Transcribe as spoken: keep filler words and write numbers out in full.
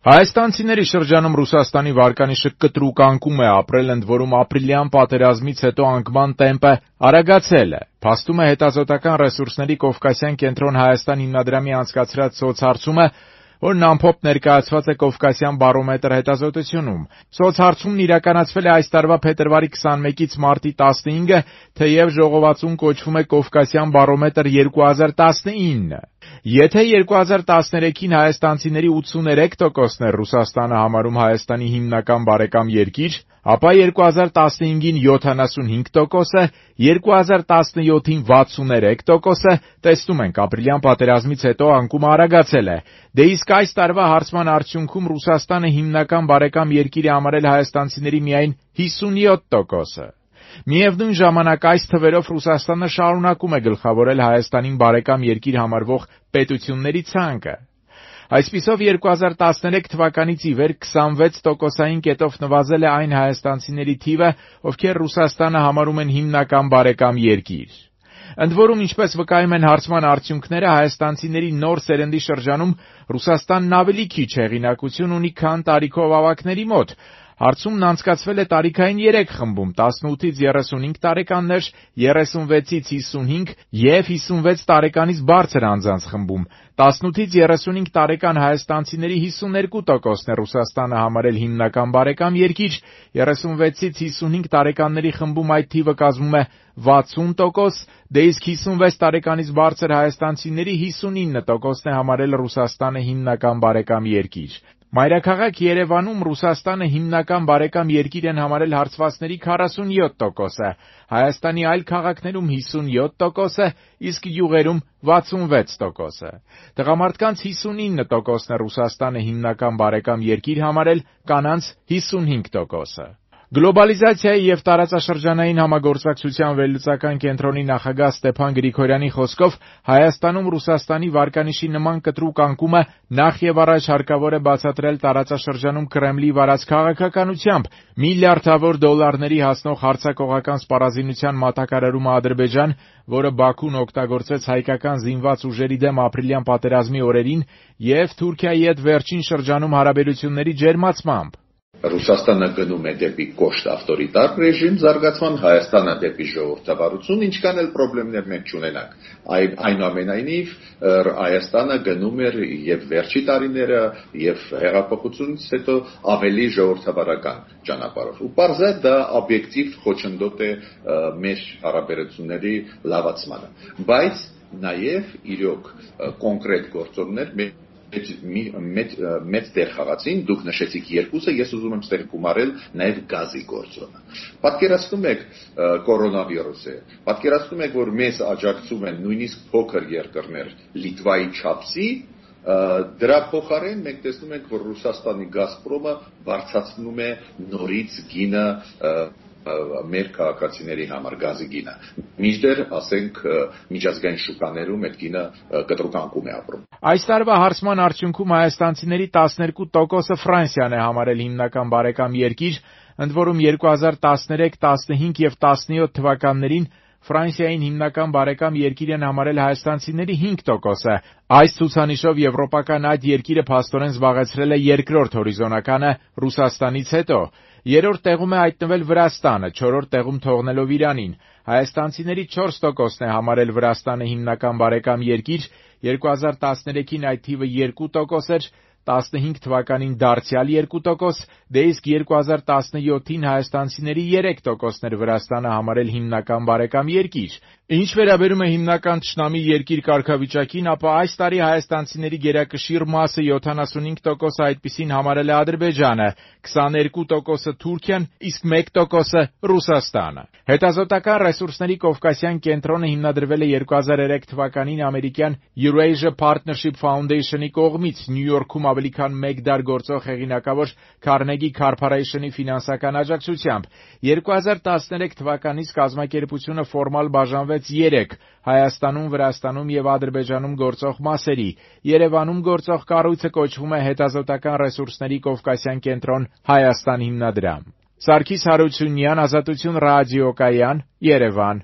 Հայաստանցիների շրջանում Ռուսաստանի վարկանիշը կտրուկ անկում է ապրել, ընդ որում ապրիլյան պատերազմից հետո անկման տեմպը արագացել է։ Փաստում է հետազոտական ռեսուրսների Կովկասյան կենտրոն Հայաստան հիմնադրամի անցկացրած սոցհարցումը, որն ամփոփ ներկայացված է Կովկասյան բարոմետր հետազոտությունում։ Սոցհարցումն իրականացվել է այս տարվա փետրվարի քսանմեկից մարտի տասնհինգը, թեև ժողովածուն կոչվում է Կովկասյան բարոմետր երկու հազար տասնինը։ Եթե երկու հազար տասներեքին հայաստանցիների ութսուներեք տոկոսն էր Ռուսաստանը համարում Հայաստանի հիմնական բարեկամ երկիր, ապա երկու հազար տասնհինգին յոթանասունհինգ տոկոսը, երկու հազար տասնյոթին վաթսուներեք տոկոսը, տեսնում ենք ապրիլյան պատերազմից հետո անկումը արագացել է։ Դե իսկ այս տարվա հարցման արդյունքում Ռուսաստանը հիմնական բարեկամ երկիր է համարել հայաստանցիների միայն հիսունյոթ տոկոսը։ Միևնույն ժամանակ այս թվերով Ռուսաստանը շարունակում է գլխավորել Հայաստանին բարեկամ երկիր համարվող պետությունների ցանկը։ Այսպիսով երկու հազար տասներեք թվականից ի վեր քսանվեց տոկոսային կետով նվազել է այն հայաստանցիների թիվը, ովքեր Ռուսաստանը համարում են հիմնական բարեկամ երկիր։ Ընդ որում, ինչպես վկայում են հարցման արդյունքները, հայաստանցիների նոր սերնդի շրջանում Ռուսաստանն ավելի քիչ հեղինակություն ունի, քան տարիքով ավագների մոտ։ Հարցումն անցկացվել է տարիքային երեք խմբում՝ տասնութից երեսունհինգ տարեկաններ, երեսունվեցից հիսունհինգ և հիսունվեց տարեկանից բարձր անձանց խմբում։ տասնութից երեսունհինգ տարեկան հայաստանցիների հիսուներկու տոկոսն է Ռուսաստանը համարել հիմնական բարեկամ երկիր, երեսունվեցից հիսունհինգ տարեկանների խմբում այդ թիվը կազմում է վաթսուն տոկոս, դե իսկ հիսունվեց տարեկանից բարձր հայաստանցիների հիսունինը տոկոսն է համարել Ռուսաստանը հիմնական բարեկամ երկիր։ Մայրաքաղաք Երևանում Ռուսաստանը հիմնական բարեկամ երկիր են համարել հարցվածների քառասունյոթ տոկոսը, Հայաստանի այլ քաղաքներում հիսունյոթ տոկոսը, իսկ գյուղերում վաթսունվեց տոկոսը։ Տղամարդկանց հիսունինը տոկոսն է Ռուսաստանը հիմնական բարեկամ երկիր համարել, կանանց հիսունհինգ տոկոսը։ Գլոբալիզացիայի և տարածաշրջանային համագործակցության վերլուծական կենտրոնի նախագահ Ստեփան Գրիգորյանի խոսքով Հայաստանում Ռուսաստանի վարկանիշի նման կտրուկ անկումը նախ եւ առաջ հարկավոր է բացատրել տարածաշրջանում Կրեմլի վարած քաղաքականությամբ։ Միլիարդավոր դոլարների հասնող հարձակողական սպառազինության մատակարարումը Ադրբեջան, որը Բաքուն օգտագործեց հայկական զինված ուժերի դեմ ապրիլյան պատերազմի օրերին, և Թուրքիայի հետ վերջին շրջանում հարաբերությունների ջերմացմամբ։ Ռուսաստանը գնում է դեպի կոշտ ավտորիտար ռեժիմ զարգացման, Հայաստանը դեպի ժողովրդավարություն, ինչքան էլ խնդիրներ մենք չունենանք։ Այնուամենայնիվ Հայաստանը գնում էր եւ վերջի տարիները եւ հեղափոխությունից հետո ավելի ժողովրդավարական ճանապարհով։ Ու պարզ է դա օբյեկտիվ խոչընդոտ է մեր հարաբերությունների լավացմանը։ Բայց նաեւ իրոք կոնկրետ գործոններ մեծ մեծ դեր խաղացին, դուք նշեցիք երկուսը, ես ուզում եմ ստեղ գումարել նաև գազի գործոնը։ Պատկերացնում եք կորոնավիրուսը, պատկերացնում եք, որ մեզ աջակցում են նույնիսկ փոքր երկրներ Լիտվայի չափսի, դրա փոխարեն մենք տեսնում ենք, որ Ռուսաստանի Գազպրոմը բարձրացնում է նորից գինը մեր քաղաքացիների համար գազի գինը։ Մինչդեռ, ասենք, միջազգային շուկաներում այդ գինը կտրուկ անկում է ապրում։ Այս տարվա հարցման արդյունքում հայաստանցիների տասներկու տոկոսը Ֆրանսիան է համարել հիմնական բարեկամ երկիր, ընդ որում երկու հազար տասներեք, տասնհինգ և տասնյոթ թվականներին Ֆրանսիային հիմնական բարեկամ երկիր են համարել հայաստանցիների հինգ տոկոսը։ Այս ցուցանիշով եվրոպական այդ երկիրը փաստորեն զբաղեցրել է երկրորդ հորիզոնականը Ռուսաստանից հետո։ Երրորդ տեղում է հայտնվել Վրաստանը, չորրորդ տեղում թողնելով Իրանին։ Հայաստանցիների չորս տոկոսն է համարել Վրաստանը հիմնական բարեկամ երկիր, երկու հազար տասներեքին այդ թիվը երկու տոկոս էր, տասնհինգ թվականին դարձյալ երկու տոկոս, դե իսկ երկու հազար տասնյոթին հայաստանցիների երեք տոկոսն էր Վրաստանը համարել հիմնական բարեկամ երկիր։ Ինչ վերաբերում է հիմնական թշնամի երկիր կարգավիճակին, ապա այս տարի հայաստանցիների գերակշիռ մասը յոթանասունհինգ տոկոսը այդպիսին համարել է Ադրբեջանը, քսաներկու տոկոսը Թուրքիան, իսկ մեկ տոկոսը Ռուսաստանը։ Հետազոտական ռեսուրսների Կովկասյան կենտրոնը հիմնադրվել է երկու հազար երեք թվականին ամերիկյան Eurasia Partnership Foundation-ի կողմից Նյու Յորքում ավելի քան մեկ դար գործող հեղինակավոր Carnegie Corporation-ի ֆինանսական աջակցությամբ։ երկու հազար տասներեք թվականից կազմակերպությունը ֆորմալ բաժանվեց երեք՝ Հայաստանում, Վրաստանում և Ադրբեջանում գործող մասերի։ Երևանում գործող կառույցը կոչվում է Հետազոտական ռեսուրսների Կովկասյան կենտրոն Հայաստան հիմնադրամ։ Սարգիս Հարությունյան, Ազատություն ռադիոկայան, Երևան։